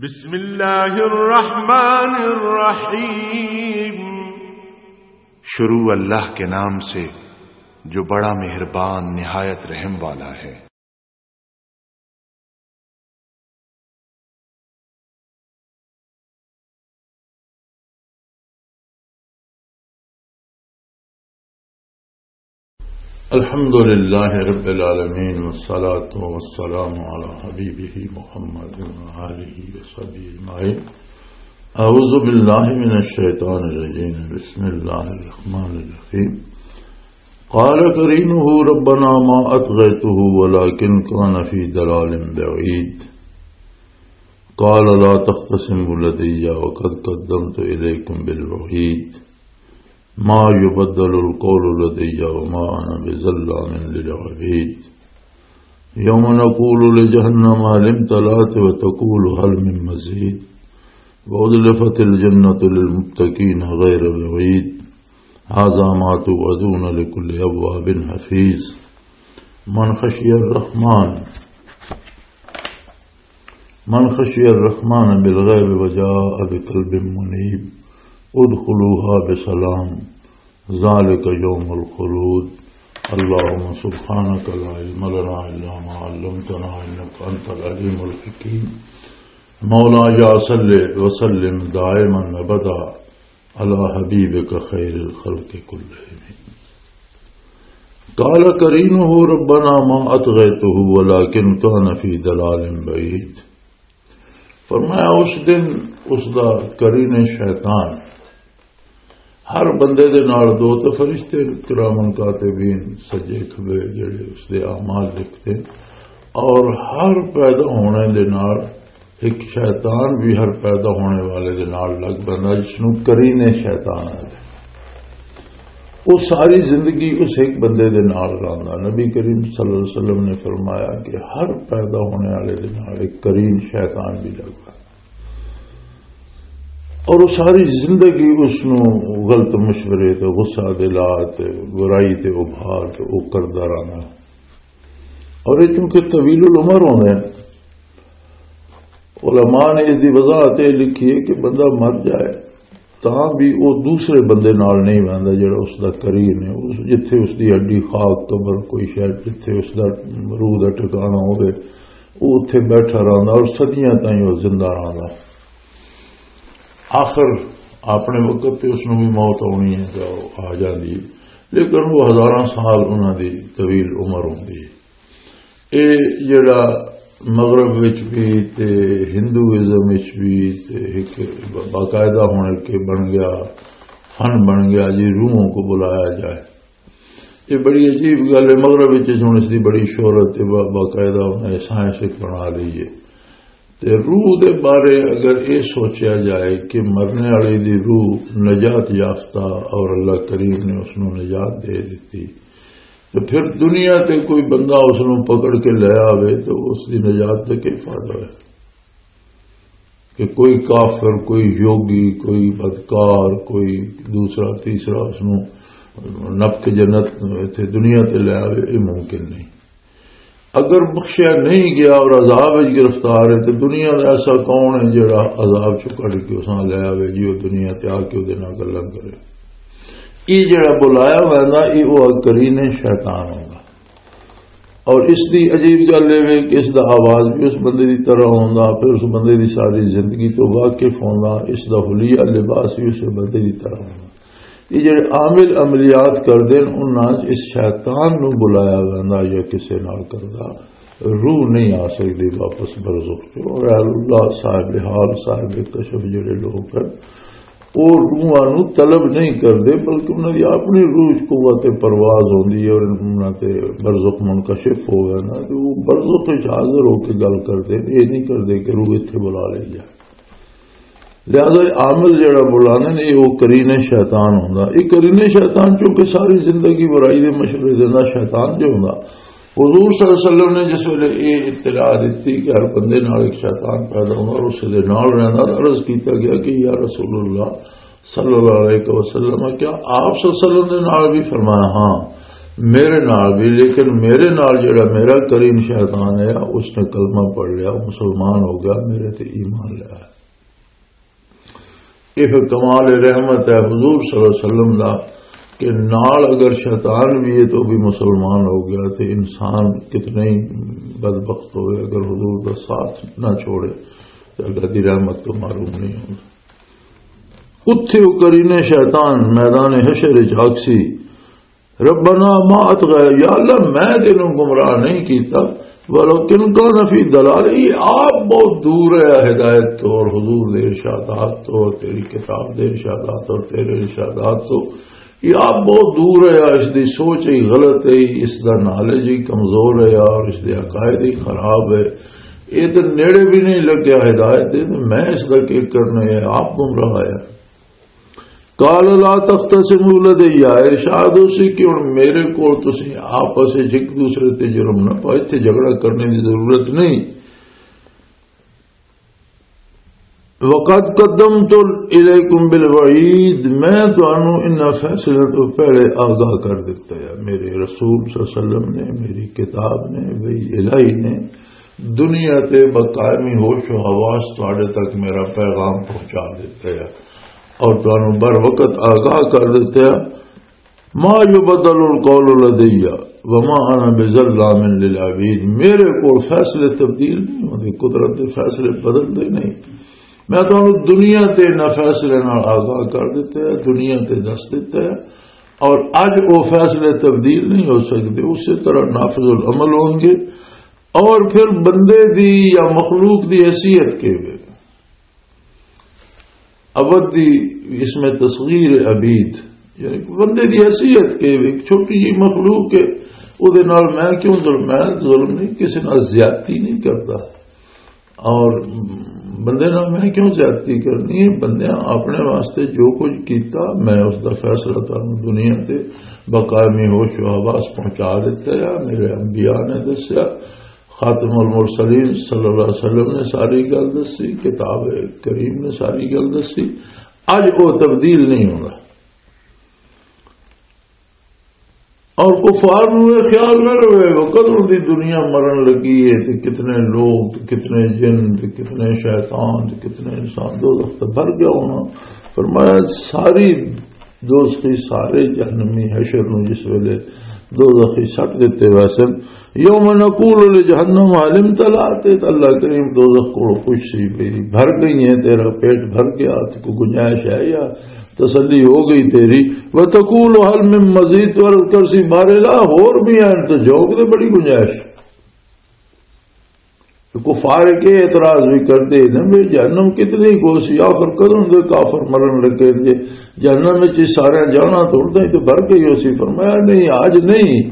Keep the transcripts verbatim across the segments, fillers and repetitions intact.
بسم اللہ الرحمن الرحیم۔ شروع اللہ کے نام سے جو بڑا مہربان نہایت رحم والا ہے۔ الحمد لله رب العالمين، والصلاة والسلام على حبيبه محمد وآله وصحبه أجمعين. أعوذ بالله من الشيطان الرجيم. بسم الله الرحمن الرحيم. قال قرينه ربنا ما أطغيته ولكن كان في ضلال بعيد. قال لا تختصموا لدي وقد قدمت إليكم بالوعيد. ما يبدل القول لدي وما أنا بظلام للعبيد. يوم نقول لجهنم هل امتلأت وتقول هل من مزيد. وأزلفت الجنة للمتقين غير بعيد. هذا ما توعدون لكل أواب حفيظ. من خشي الرحمن من خشي الرحمن بالغيب وجاء بقلب منيب، ادخلوها بسلام، ذلك يوم الخلود. اللهم سبحانك لا علم لنا إلا ما علمتنا إنك أنت العليم الحكيم. مولاي صل وسلم دائما أبدا على حبيبك خير الخلق كلهم. قال قرينه ربنا ما أطغيته ولكن كان في ضلال بعيد. فرمایا، اس دن اس دا قرین شیطان، ہر بندے دے نال دو تے فرشتے کرامن کاتبین سجے کھبے جڑے اس دے اعمال لکھتے، اور ہر پیدا ہونے دے نال ایک شیطان بھی ہر پیدا ہونے والے دے نال لگ پیندا، جس نوں قرین شیطان آکھدے۔ وہ ساری زندگی اس ایک بندے دے نال رہندا۔ نبی کریم صلی اللہ علیہ وسلم نے فرمایا کہ ہر پیدا ہونے والے دے نال ایک قرین شیطان بھی لگ پیندا، اور وہ ساری زندگی اس نوں غلط مشورے تے غصہ دلا تے برائی تے ابھار تے وہ کردا رہندا۔ اور یہ چونکہ طویل العمر ہوندے ہیں، علماء نے اس دی وضاحت یہ لکھی ہے کہ بندہ مر جائے تاں بھی وہ دوسرے بندے نال نہیں بہندا جڑا اس دا قرین ہے۔ اس، جتھے اس دی ہڈی خاک قبر کوئی شاید، جتھے اس دا روح دا ٹھکانہ ہوے، وہ اتھے بیٹھا رہندا اور صدیاں تائیں وہ زندہ رہندا۔ آخر اپنے وقت تے اس نوں بھی موت آنی ہے، جو آ جاندی ہے، لیکن وہ ہزاراں سال انہاں دی طویل عمر ہوندی ہے۔ اے جڑا مغرب وچ بھی تے ہندوازم وچ بھی تے ایک باقاعدہ ہن کے بن گیا، فن بن گیا جی، روحوں کو بلایا جائے۔ یہ بڑی عجیب گل ہے۔ مغرب وچ ہن اس دی بڑی شہرت ہے، با-، باقاعدہ انہاں نے سائنس ایک بنا لی ہے۔ تے روح دے بارے اگر یہ سوچا جائے کہ مرنے والے دی روح نجات یافتہ اور اللہ کریم نے اس نوں نجات دے دیتی، تو پھر دنیا تے کوئی بندہ اس نوں پکڑ کے لے آوے تو اس دی نجات تے کی فائدہ ہے؟ کہ کوئی کافر، کوئی یوگی، کوئی بدکار، کوئی دوسرا تیسرا اس نوں نپ کے جنت اتھے دنیا تے لے آوے، یہ ممکن نہیں۔ اگر بخشیا نہیں گیا اور عذاب وچ گرفتار ہے، تو دنیا دا ایسا کون ہے جڑا عذاب چوں کڈ کے اساں لے آوے جی، وہ دنیا تے آ کے وہ دے نال گلاں کرے؟ یہ جڑا بلایا ہوا ہے نا، یہ وہ قرین شیطان ہوگا۔ اور اس دی عجیب گل یہ ہے کہ اس دا آواز بھی اس بندے دی طرح ہوندا، پھر اس بندے دی ساری زندگی تو واقف ہوندا، اس دا حلیہ لباس بھی اس بندے دی طرح ہوندا۔ یہ جڑے عامل عملیات کردے نے، انہاں 'چ اس شیطان نوں بلایا ویندا یا کسے نال کردا، روح نہیں آ سکدی واپس برزخ چوں۔ اور اہل اللہ، صاحب حال، صاحب کشف جڑے لوگ ہیں، وہ روحاں نوں طلب نہیں کردے، بلکہ انہاں دی اپنی روح 'چ قوت پرواز ہوندی ہے اور انہاں تے برزخ منکشف ہو گیا نا، تو وہ برزخ وچ حاضر ہو کے گل کردے، یہ نہیں کردے کہ روح اتھے بلا لے جائے۔ لہذا یہ عامل جڑا بلانے نے، یہ وہ قرین شیطان ہوندا۔ یہ قرین شیطان چونکہ ساری زندگی برائی دے مشورے دیندا، شیطان جو ہوندا، حضور صلی اللہ علیہ وسلم نے جس ویلے یہ اطلاع دتی کہ ہر بندے نال ایک شیطان پیدا ہوندا اور اس دے نال رہندا، تو عرض کیتا گیا کہ یا رسول اللہ صلی اللہ علیہ وسلم، کیا آپ صلی اللہ علیہ وسلم دے نال بھی؟ فرمایا، ہاں۔ میرے نال بھی، لیکن میرے نال جڑا میرا کریم شیطان ہے، اس نے کلمہ پڑھ لیا، مسلمان ہو گیا، میرے تے ایمان لیا۔ یہ پھر کمال رحمت ہے حضور صلی اللہ علیہ وسلم دا، کہ نال اگر شیطان بھی ہے تو بھی مسلمان ہو گیا۔ تے انسان کتنے ہی بدبخت ہوئے، اگر حضور دا ساتھ نہ چھوڑے تو اللہ دی رحمت تو محروم نہیں ہوگا۔ اتھے وہ قرین شیطان میدان حشر وچ آکسی، "ربنا ما اطغى"، یا اللہ، میں تینوں گمراہ نہیں کیتا، "ولكن كان في ضلال"، یہ آپ بہت دور ہے ہدایت تو اور حضور دے ارشادات تو اور تیری کتاب دے ارشادات اور تیرے ارشادات تو، یہ آپ بہت دور ہے، اس دی سوچ ہی غلط ہے، اس دا نالج ہی کمزور ہے اور اس دے عقائد ہی خراب ہے، یہ تے نیڑے بھی نہیں لگیا ہدایت دے، تے میں اس دا کی کرنا ہے، آپ گمراہ ہے۔ قال لا تختصموا لدي، ارشاد اسی کہ ہن میرے کول تسی آپس وچ ایک دوسرے تے جرم نہ پاؤ، اتھے جھگڑا کرنے دی ضرورت نہیں۔ وقد قدمت اليكم بالوعيد، میں تانوں انہاں فیصلے تو پہلے آگاہ کر دتا ہے۔ میرے رسول صلی اللہ علیہ وسلم نے، میری کتاب نے، وحی الہی نے دنیا تے بقائمی ہوش و حواس تواڈے تک میرا پیغام پہنچا دتا ہے اور تانوں بر وقت آگاہ کر دتا ہے۔ ما يبدل القول لدي وما انا بظلام للعبيد، میرے کول فیصلے تبدیل نہیں ہوندے، قدرت دے فیصلے بدلدے نہیں۔ میں تانوں دنیا تے انہاں فیصلے نال آگاہ کر دتا ہے، دنیا تے دس دتا ہے، اور اج وہ فیصلے تبدیل نہیں ہو سکتے، اسی طرح نافذ العمل ہون گے۔ اور پھر بندے دی یا مخلوق دی حیثیت کے وے، عبد دی، اس میں تصغیر عبید، یعنی بندے دی حیثیت کے وے، ایک چھوٹی جی مخلوق ہے، او دے نال میں کیوں ظلم؟ میں ظلم نہیں، کسی نال زیادتی نہیں کرتا۔ اور بندے نال میں کیوں زیادتی کرنی ہے؟ بندیاں اپنے واسطے جو کچھ کیتا، میں اس دا فیصلہ تانوں دنیا تے بقائمی ہوش و حواس پہنچا دیتا ہے۔ میرے انبیاء نے دسیا، خاتم المرسلین صلی اللہ علیہ وسلم نے ساری گل دسی، کتاب کریم نے ساری گل دسی۔ اج وہ تبدیل نہیں ہونا۔ اور کفار نوں یہ خیال نہ رہے، وہ کدوں دی دنیا مرن لگی ہے، تے کتنے لوگ، تے کتنے جن، تے کتنے شیطان، تے کتنے انسان دوزخ تے بھر گیا ہونا۔ فرمایا، ساری دوزخی، سارے جہنمی حشر نوں جس ویلے دوزخی سٹ دتے ویسے، یوم نقول لجہنم هل امتلأت، تے اللہ کریم دوزخ کولوں پوچھ سی، بھئی، بھر گئی ہے، تیرا پیٹ بھر گیا، تے کوئی گنجائش ہے یا تسلی ہو گئی تیری؟ وتقول هل من مزید، تو عرض کر سی، بارے لا، ہور بھی ہیں، تو جوگ دے بڑی گنجائش۔ تو کفار کے اعتراض بھی کرتے ہیں، بھئی جہنم کتنی کو سی، آخر کدوں دے کافر مرن لگے جے، جہنم وچ سارے جانا تو اردے تو بھر گئی ہو سی۔ فرمایا، نہیں، آج نہیں،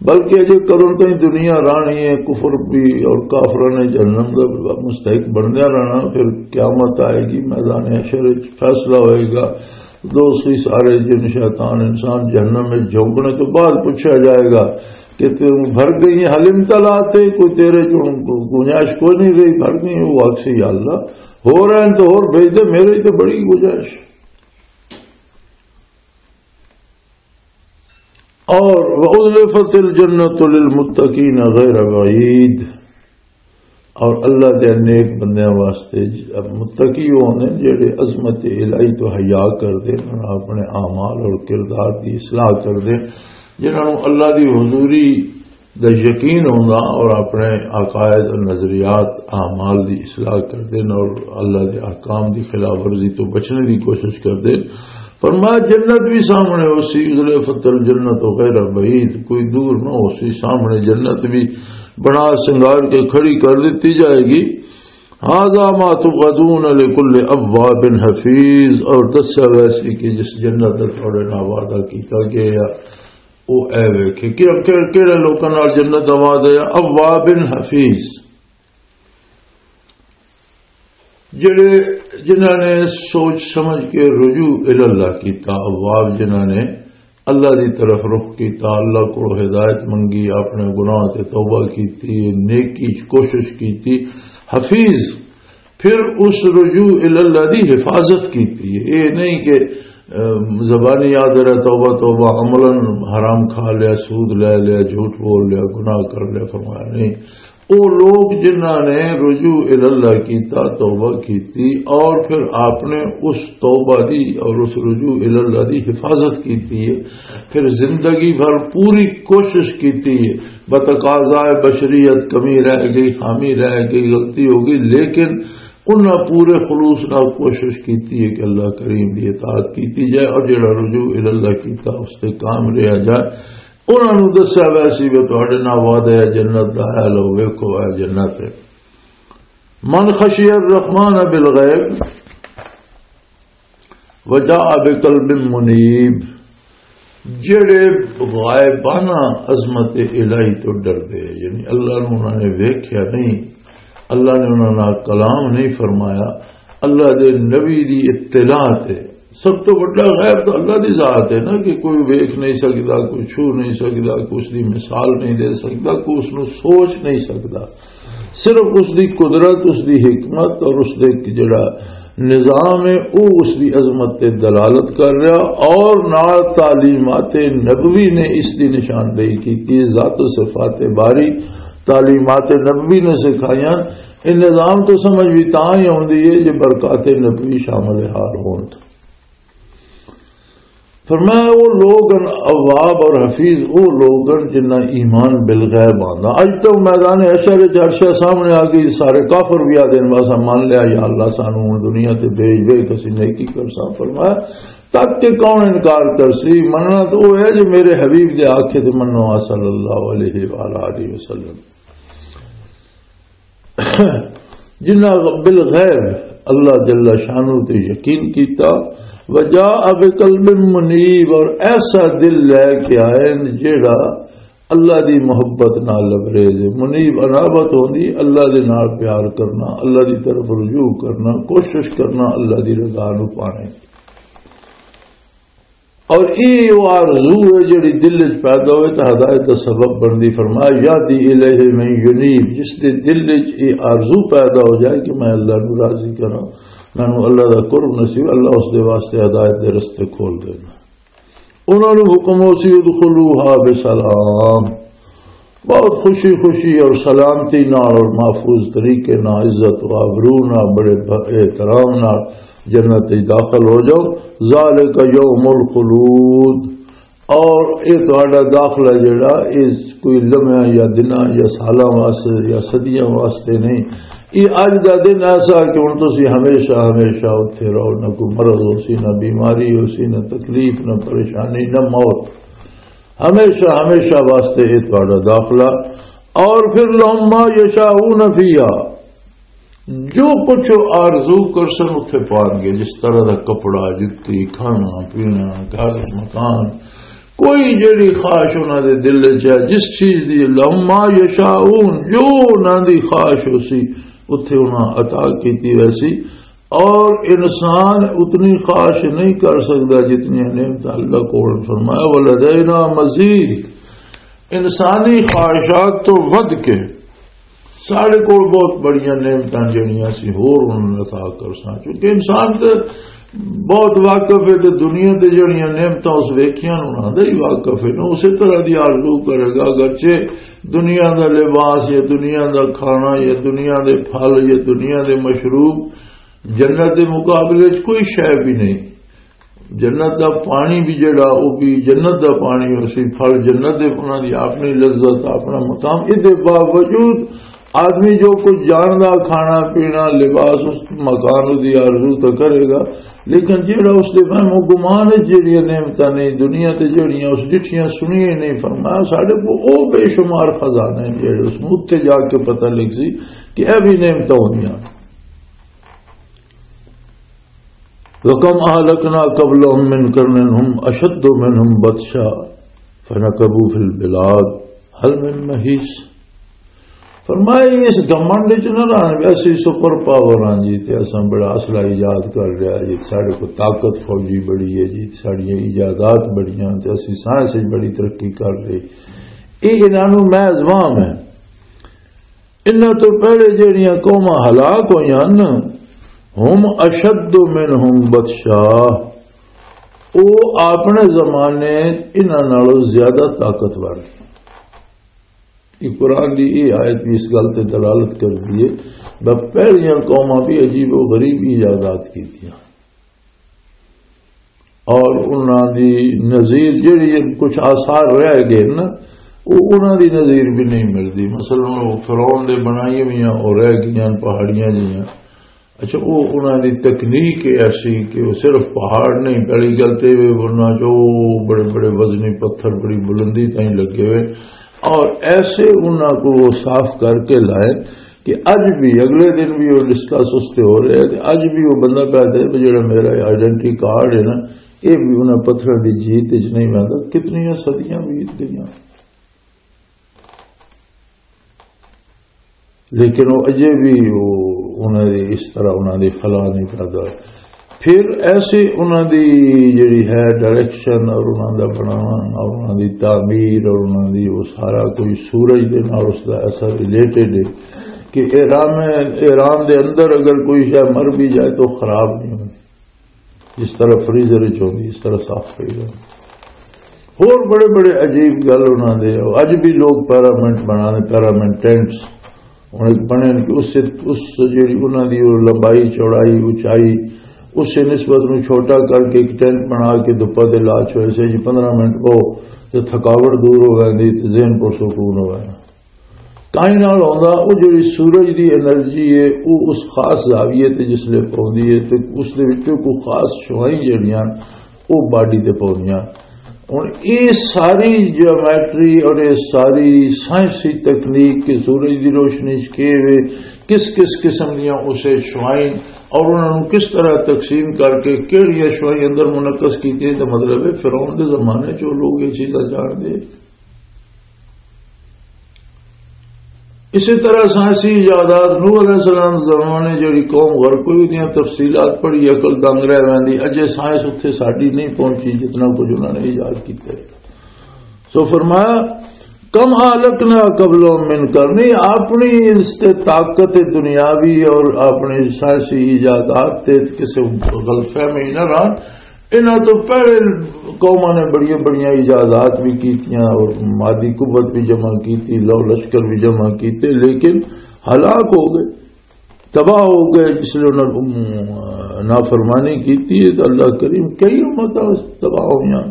بلکہ اجے کدوں تائیں دنیا رانی ہے، کفر بھی اور کافراں نے جہنم دا مستحق بنیا رہنا۔ پھر قیامت آئے گی، میدان حشر وچ فیصلہ ہوئے گا، دوستی سارے جن شیطان انسان جہنم وچ جھونکنے تو بعد پوچھا جائے گا کہ تم بھر گئی ہیں، حلم تلا تے کوئی تیرے چوں گنجائش کوئی نہیں رہی، بھر گئی ہیں۔ وہ آکسی، یا اللہ، ہو رہے ہیں تو اور بھیج دے، میرے تو بڑی گنجائش۔ اور وَأُزْلِفَتِ الْجَنَّةُ لِلْمُتَّقِينَ غَيْرَ بَعِيدٍ، اور اللہ دے نیک بندیاں واسطے، متقی وہ ہوندے نے جڑے عظمت الہی تو حیا کردے نے، اپنے اعمال اور کردار دی اصلاح کردے، جنہاں نوں اللہ دی حضوری دا یقین ہوندا اور اپنے عقائد اور نظریات، اعمال دی اصلاح کردے نے اور اللہ دے احکام دی خلاف ورزی تو بچنے دی کوشش کردے۔ فرمایا، جنت بھی سامنے ہو سی، ازلفت الجنت غیر بعید، کوئی دور نہ ہو سی، سامنے جنت بھی بنا سنگار کے کھڑی کر دیتی جائے گی۔ هذا ما توعدون لكل أواب حفيظ، اور دسیا ویسی کہ جس جنت دا تھوڑے نال وعدہ کیتا گیا، او اے ویکھے کہ کہ-، کہڑے لوکاں نال جنت دا وعدہ ہے، اواب حفیظ، جڑے، جنہاں نے سوچ سمجھ کے رجوع الی اللہ کیتا، اواب جنہاں نے اللہ دی طرف رخ کیتا، اللہ کو ہدایت منگی، اپنے گناہ تے توبہ کیتی، نیکی چ کوشش کیتی، حفیظ، پھر اس رجوع الی اللہ دی حفاظت کیتی۔ یہ نہیں کہ زبانی یاد رہا توبہ توبہ، عملاً حرام کھا لیا، سود لے لیا، جھوٹ بول لیا، گناہ کر لیا، فرمایا نہیں۔ او لوگ جنہاں نے رجوع الی اللہ کیتا، توبہ کیتی، اور پھر آپ نے اس توبہ دی اور اس رجوع الی اللہ دی حفاظت کیتی ہے، پھر زندگی بھر پوری کوشش کیتی ہے، بتقاضائے بشریت کمی رہ گئی، خامی رہ گئی، غلطی ہو گئی، لیکن انہاں پورے خلوص نال کوشش کیتی ہے کہ اللہ کریم دی اطاعت کیتی جائے، اور جڑا رجوع الی اللہ کیتا، اس تے کام رہا جائے۔ انہاں نوں دسیا ویسی بھی تہاڈے نال وعدہ ہے جنت دا، ہے لو ویکھو، ہے جنت ہے۔ من خشی الرحمن بالغیب وجاء بقلب منیب، جڑے غائبانہ عظمت الہی تو ڈردے، یعنی اللہ نوں انہاں نے ویکھیا نہیں، اللہ نے انہاں نال کلام نہیں فرمایا، اللہ دے نبی دی اطلاع تے۔ سب تو بڑا غیب تو اللہ دی ذات ہے نا، کہ کوئی ویکھ نہیں سکدا، کوئی چھو نہیں سکدا، کوئی اس دی مثال نہیں دے سکدا، کوئی اس نوں سوچ نہیں سکدا۔ صرف اس دی قدرت، اس دی حکمت اور اس دے جڑا نظام ہے، وہ اس دی عظمت تے دلالت کر رہا، اور نال تعلیمات نبوی نے اس دی نشاندہی کیتی ہے۔ ذات و صفات باری تعلیمات نبوی نے سکھائیاں۔ یہ نظام تو سمجھ بھی تاں ہی آؤندی ہے جے برکات نبوی شامل حال ہون۔ فرمایا، وہ لوگ ہن اواب اور حفیظ، وہ لوگ ہن جنہاں ایمان بالغیب آندا۔ اج تو میدان حشر وچ ہر شے سامنے آ گئی، سارے کافر بھی آدھے نے، "بس ہم مان لیا یا اللہ، سانو ہن دنیا تے بھیج، ویکھ اسی نیکی کرساں۔" فرمایا، "تک کے کون انکار کرسی؟ مننا تو وہ ہے جو میرے حبیب دے آکھے تے منو، آ صلی اللہ علیہ وآلہ وسلم۔" جنہاں بالغیب اللہ جل شانہ تے یقین کیتا، وجاء بقلب منیب، اور ایسا دل لے کے آئے نے جیڑا اللہ دی محبت نال لبریز ہے۔ منیب انابت ہوندی، اللہ دے نال پیار کرنا، اللہ دی طرف رجوع کرنا، کوشش کرنا اللہ دی رضا نو پانے۔ اور یہ وہ آرزو ہے جڑی دل وچ پیدا ہوئے تو ہدایت دا سبب بندی۔ فرمایا، "یہدی الیہ من ینیب"، جس دے دل وچ یہ آرزو پیدا ہو جائے کہ میں اللہ نو راضی کراں، مینوں اللہ دا قرب نصیب، اللہ اس دے واسطے ہدایت دے رستے کھول دینا۔ انہاں نوں حکم ہو سی، "ادخلوها بسلام"، بہت خوشی خوشی اور سلامتی نال اور محفوظ طریقے نال، عزت و آبرو نال، بڑے ب-، احترام نال جنت وچ داخل ہو جاؤ۔ ذالک یوم الخلود، اور اے تہاڈا داخلہ جڑا، اے کوئی لمحہ یا دناں یا سالاں واسطے یا صدیاں واسطے نہیں۔ اے اج دا دن ایسا کہ ہن تسی ہمیشہ ہمیشہ اتھے رہو، نہ کوئی مرض ہو سی، نہ بیماری ہو سی، نہ تکلیف، نہ پریشانی، نہ موت۔ ہمیشہ ہمیشہ واسطے یہ تہاڈا داخلہ۔ اور پھر لہم ما یشاؤون فیہا، جو کچھ آرزو کرسن اتھے پان گے، جس طرح دا کپڑا، جتی، کھانا پینا، گھر، مکان، کوئی جیڑی خواہش انہاں دے دل وچ ہے، جس چیز دی، لہم ما یشاؤون، جو انہاں دی خواہش ہو سی اتھے انہاں عطا کیتی ویسی۔ اور انسان اتنی خواہش نہیں کر سکتا جتنی نعمت اللہ کول۔ فرمایا، "ولدینا مزید"، انسانی خواہشات تو ود کے ساڈے کول بہت بڑیاں نعمتاں جڑیاں سی ہور انہاں نوں عطا کرساں، کیونکہ انسان تے بہت واقف ہے تے دنیا تے جڑیاں نعمتاں اس ویکھیاں انہاں دا ہی واقف ہے نا، اسی طرح دی آرزو کرے گا۔ اگرچہ دنیا دا لباس یا دنیا دا کھانا یا دنیا دے پھل یا دنیا دے مشروب جنت دے مقابلے وچ کوئی شے بھی نہیں۔ جنت دا پانی بھی جڑا، او بھی جنت دا پانی ہو سی، پھل جنت دے، انہاں دی اپنی لذت، اپنا مقام۔ اس دے باوجود آدمی جو کچھ جاندا، کھانا پینا، لباس، اس مکان دی آرزو تو کرے گا، لیکن جڑا اس دے وہم و گمان ہے، جڑیاں نعمتاں نہیں دنیا تے، جڑیاں اس ڈٹھیاں سنیاں نہیں، فرمایا ساڈے کو او بے شمار خزانے جڑے اس نوں اتھے جا کے پتہ لگ سی کہ اے بھی نعمتاں ہوندیاں۔ وَكَمْ أَهْلَكْنَا قَبْلَهُمْ مِنْ قَرْنٍ هُمْ أَشَدُّ مِنْهُمْ بَطْشًا فَنَكَبُوا فِي الْبِلَادِ هَلْ مِنْ مَحِيصٍ۔ فرمایا، اس گھمنڈ وچ نہ رہن، ویسے سپر پاور ہاں جی، تے اساں بڑا اسلحہ ایجاد کر لیا جی، ساڈے کو طاقت فوجی بڑی ہے جی، ساڈیاں ایجادات بڑیاں، تے اسی سائنس وچ بڑی ترقی کر لئی۔ یہ انہاں نوں محض وہم ہے۔ انہاں تو پہلے جہڑیاں قوماں ہلاک ہوئیاں ہن، ہم اشد منہم بطشا، وہ اپنے زمانے انہاں نالوں زیادہ طاقتور ہے۔ یہ قرآن دی یہ آیت بھی اس گل تے دلالت کر دیے۔ پہلیاں قوماں بھی عجیب و غریب ایجادات کیتیاں اور انہاں دی نظیر جڑی کچھ آثار رہ گئے نا، وہ انہاں دی نظیر بھی نہیں ملدی۔ مثلاً وہ فرعون دے بنائیاں ہوئیاں اور رہ گئیاں پہاڑیاں جیاں۔ اچھا، وہ انہاں دی تکنیک ایسی کہ وہ صرف پہاڑ نہیں، پہلی گل تے وہ انہاں جو بڑے بڑے وزنی پتھر بڑی بلندی تائیں لگے ہوئے، اور ایسے انہاں کو وہ صاف کر کے لائے کہ اج بھی، اگلے دن بھی وہ ڈسکس اس تے ہو رہے ہیں، تے اج بھی وہ بندہ کہتا ہے کہ جڑا میرا آئیڈینٹی کارڈ ہے نا، یہ بھی انہاں پتھراں دی جیت وچ نہیں آندا۔ کتنیاں صدیاں بیت گئیاں، لیکن وہ اجے بھی وہ انہاں دی اس طرح انہاں دی خلا نہیں کردا۔ پھر ایسے انہاں دی جڑی ہے ڈائریکشن اور انہاں دا بنانا اور انہاں دی تعمیر اور انہاں دی وہ سارا کوئی سورج دے نال اس دا ایسا ریلیٹڈ ہے کہ ایران، ایران دے اندر اگر کوئی شے مر بھی جائے تو خراب نہیں ہوتی، جس طرح فریزر وچ ہوندی اس طرح صاف پئی ہوندی۔ ہور بڑے بڑے عجیب گل انہاں دے، اج بھی لوگ پیرامنٹ بنانے، پیرامنٹ ٹینٹس ہن ایک بنے نے کہ اس سے، اس جڑی انہاں دی وہ لمبائی، چوڑائی، اونچائی، اس سے نسبت نوں چھوٹا کر کے ایک ٹینٹ بنا کے دھپا دے لا چھوڑے سے جی پندرہ منٹ وہ تے تھکاوٹ دور ہو ویندی تے ذہن پر سکون ہو وینا۔ کائیں نال ہوندا، وہ جڑی سورج دی انرجی ہے، وہ اس خاص زاویے تے جس لے پوندی ہے تے اس دے وچوں کوئی خاص شوائیں جڑیاں وہ باڈی تے پوندیاں۔ ہن یہ ساری جیومیٹری اور یہ ساری سائنسی تکنیک کہ سورج دی روشنی چ کے وے، کس کس قسم دیاں اسے شوائیں اور انہاں نوں کس طرح تقسیم کر کے کہڑیاں شوائیں اندر منعقد کیتیاں، تو مطلب ہے فرعون دے زمانے چ وہ لوگ یہ چیزاں جان دے۔ اسی طرح سائنسی ایجادات، نوح علیہ السلام زمانے جڑی قوم غرق ہوئی، دیاں تفصیلات پڑھی، عقل دنگ رہ ویندی۔ اجے سائنس اتھے ساڈی نہیں پہنچی جتنا کچھ انہاں نے ایجاد کیتا ہے۔ سو فرمایا، کم اہلکنا قبلہم من قرن، اپنی اس تے طاقت دنیاوی اور اپنی سائنسی ایجادات تے کسے غلط فہمی نہ رہن۔ انہاں تو پہلے قوماں نے بڑیاں بڑیاں ایجادات بھی کیتیاں اور مادی قوت بھی جمع کیتی، لو لشکر بھی جمع کیتے، لیکن ہلاک ہو گئے، تباہ ہو گئے۔ جس لیے انہاں نے نافرمانی کیتی ہے تو اللہ کریم کئی امتاں تباہ ہویاں۔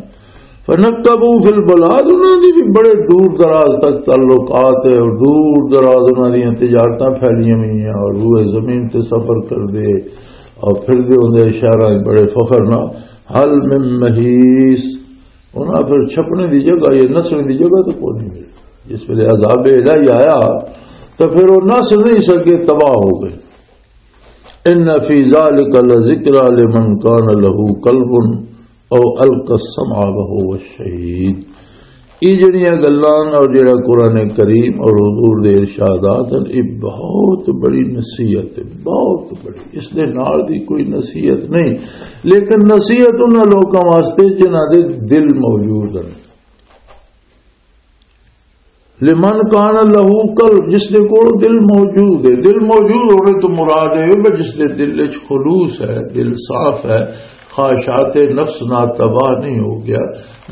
فنکبوا فی البلاد، انہاں دی بھی بڑے دور دراز تک تعلقات ہے اور دور دراز انہاں دیاں تجارتاں پھیلیاں ہوئی ہیں اور روئے زمین تے سفر کر دے اور پھر دے ہوندے شہراں وچ بڑے فخر نال، حل من محیص، انہاں پھر چھپنے دی جگہ یا نسنے دی جگہ تو کوئی نہیں ملی۔ جس ویلے عذاب الہی آیا تو پھر وہ نس نہیں سکے، تباہ ہو گئے۔ ان فی ذلک لذکری لمن کان لہ قلب او القی السمع وہو شہید۔ یہ جڑیاں گلاں اور جڑا قرآن کریم اور حضور دے ارشادات ہیں، یہ بہت بڑی نصیحت ہے، بہت بڑی۔ اس دے نال دی کوئی نصیحت نہیں، لیکن نصیحت انہاں لوکاں واسطے جنہاں دے دل موجود ہیں۔ لمن کان لہو قلب، جس دے کول دل موجود ہے۔ دل موجود ہونے تو مراد ہے کہ جس دے دل وچ خلوص ہے، دل صاف ہے، خواہشات نفس نہ تباہ نہیں ہو گیا۔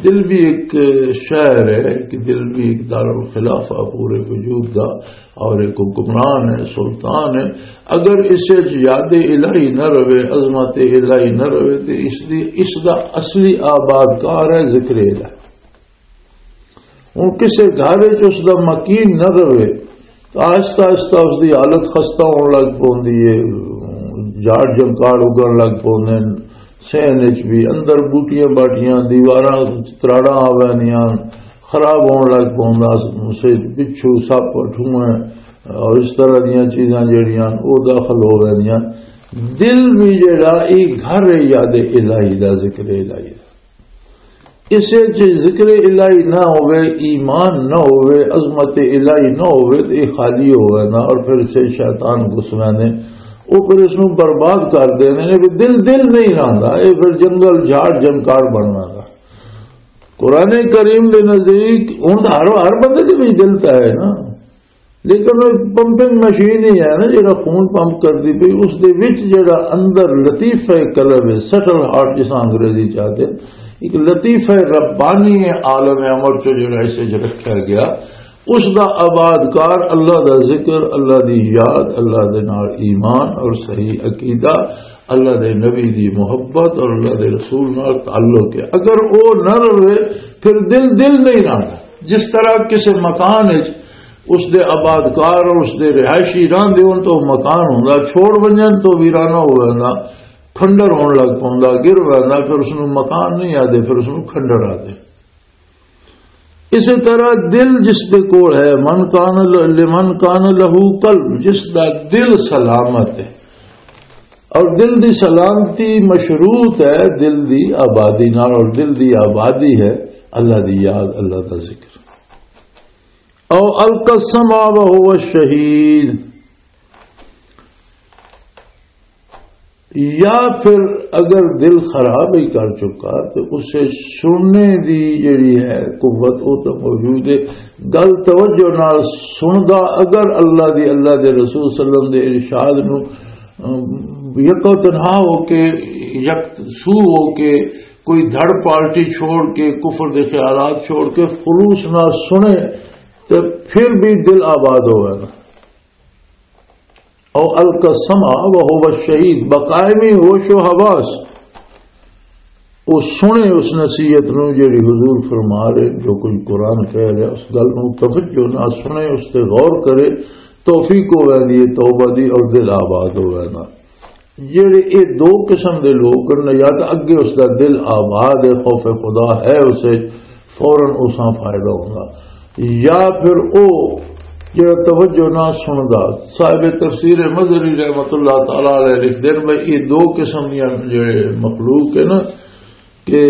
دل بھی ایک شہر ہے کہ دل بھی ایک دارالخلافہ پورے وجود دا، اور ایک حکمران ہے، سلطان ہے۔ اگر اسے یاد الہی نہ رہے، عظمت الہی نہ رہے، تو اس دی، اس دا اصلی آباد کار ہے ذکر الہی۔ ہن کسے گھر وچ اس دا مکین نہ رہے، تو آہستہ آہستہ اس دی حالت خستہ ہون لگ پوندی ہے، جھاڑ جھنکار اگن لگ پوندے نے، سہن وچ بھی اندر بوٹیاں باٹیاں، دیواراں وچ تراڑاں آ ویندیاں، خراب ہون لگ پوندا، اس وچ بچھو، سپ، ٹھوئیں اور اس طرح دیاں چیزاں جڑیاں او داخل ہو ویندیاں۔ دل بھی جڑا، ایک گھر ہے یاد الہی دا، ذکر الہی دا۔ اسے چ ذکر الہی نہ ہوئے، ایمان نہ ہوئے، عظمت الہی نہ ہوئے، تو یہ خالی ہوئے نا، اور پھر اسے شیطان گھس ویندے۔ وہ پھر اس نوں برباد کر دیندے نے، بھی دل دل نہیں رہندا، یہ پھر جنگل جھاڑ جنکار بن ویندا۔ قرآن کریم دے نزدیک ہن ہر، ہر بندے دے وچ دل تا ہے نا، لیکن وہ پمپنگ مشین ہی ہے نا، جڑا خون پمپ کردی پئی، اس دے وچ جڑا اندر لطیفہ قلب ہے، سٹل ہارٹ جس انگریزی چاہتے، ایک لطیفہ ربانی عالم امر چو جڑا اس وچ رکھا گیا، اس دا آباد کار اللہ دا ذکر، اللہ دی یاد، اللہ دے نال ایمان اور صحیح عقیدہ، اللہ دے نبی دی محبت اور اللہ دے رسول نال تعلق ہے۔ اگر او نہ رہے، پھر دل دل نہیں رہنا۔ جس طرح کسی مکان وچ اس دے آباد کار اور اس دے رہائشی رہندے ہون تو مکان ہوندا، چھوڑ ونجن تو ویرانہ ہو جاندا، کھنڈر ہون لگ پوندا، گر ویندا، پھر اس نوں مکان نہیں آدے، پھر اس نوں کھنڈر آدے۔ اسی طرح دل جس دے کول ہے، من کان ل-، لمن کان لہو قلب، جس دا دل سلامت ہے، اور دل دی سلامتی مشروط ہے دل دی آبادی نال، اور دل دی آبادی ہے اللہ دی یاد، اللہ دا ذکر۔ او القسم وهو شهيد، یا پھر اگر دل خراب ہی کر چکا تو اسے سننے دی جڑی ہے قوت، وہ تو موجود ہے۔ گل توجہ نال سندا، اگر اللہ دی، اللہ دے رسول صلی اللہ علیہ وسلم دے ارشاد نو، ام، یکو تنہا ہو کے، یک سو ہو کے، کوئی دھڑ پارٹی چھوڑ کے، کفر دے خیالات چھوڑ کے خلوص نال سنے، تے پھر بھی دل آباد ہوئے گا۔ او القسم وهو شهيد، بقائمی ہوش و حواس، وہ سنے اس نصیحت نو جیڑی حضور فرما رہے، جو کوئی قرآن کہہ رہے، اس گل نو توجہ نہ سنے، اس تے غور کرے، توفیق ہو ویندی ہے توبہ دی اور دل آباد ہو ویندا۔ جیڑے اے دو قسم دے لوگ ہن، یا تاں اگے اس دا دل آباد ہے، خوف خدا ہے اسے، فوراً اساں فائدہ ہوندا، یا پھر او جیڑا توجہ نہ سندا۔ صاحب تفسیر مظہری رحمت اللہ تعالی علیہ لکھ دین میں اے دو قسم دیاں جیڑے مخلوق ہے نا، کہ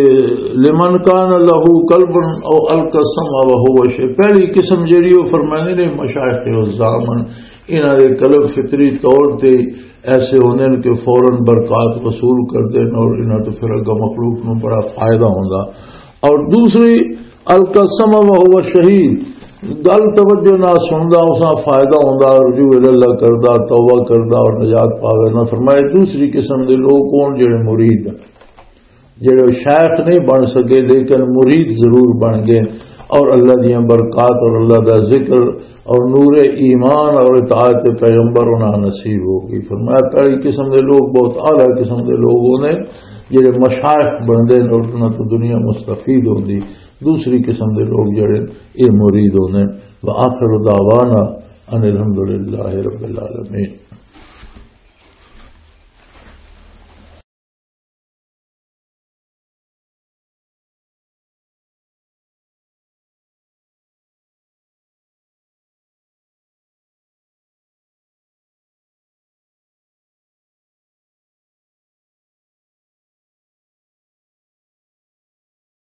لمن کان لہو قلب او القسم وهو شهيد۔ پہلی قسم جیڑی وہ فرماندے نے مشائخ عظام ہن، انہاں دے قلب فطری طور تے ایسے ہوندے نے کہ فوراً برکات وصول کردے نے اور انہاں تو پھر اگا مخلوق نوں بڑا فائدہ ہوندا۔ اور دوسری القسم وهو شهيد، گل توجہ نہ سندا، اساں فائدہ ہوندا، رجوع الی اللہ کردا، توبہ کردا اور نجات پاوے نہ۔ فرمائے دوسری قسم دے لوگ کون؟ جڑے مرید ہن، جڑے شیخ نہیں بن سکے لیکن مرید ضرور بن گئے، اور اللہ دیاں برکات اور اللہ دا ذکر اور نور ایمان اور اطاعت پیغمبر انہاں نصیب ہو گئی۔ فرمایا پہلی قسم دے لوگ بہت اعلیٰ قسم دے لوگ ہوندے جڑے مشائخ بندے نے اور انہاں تو دنیا مستفید ہوندی، دوسری قسم دے لوگ جڑے اے مرید ہوندے۔ وآخر دعوانا ان الحمدللہ رب العالمین۔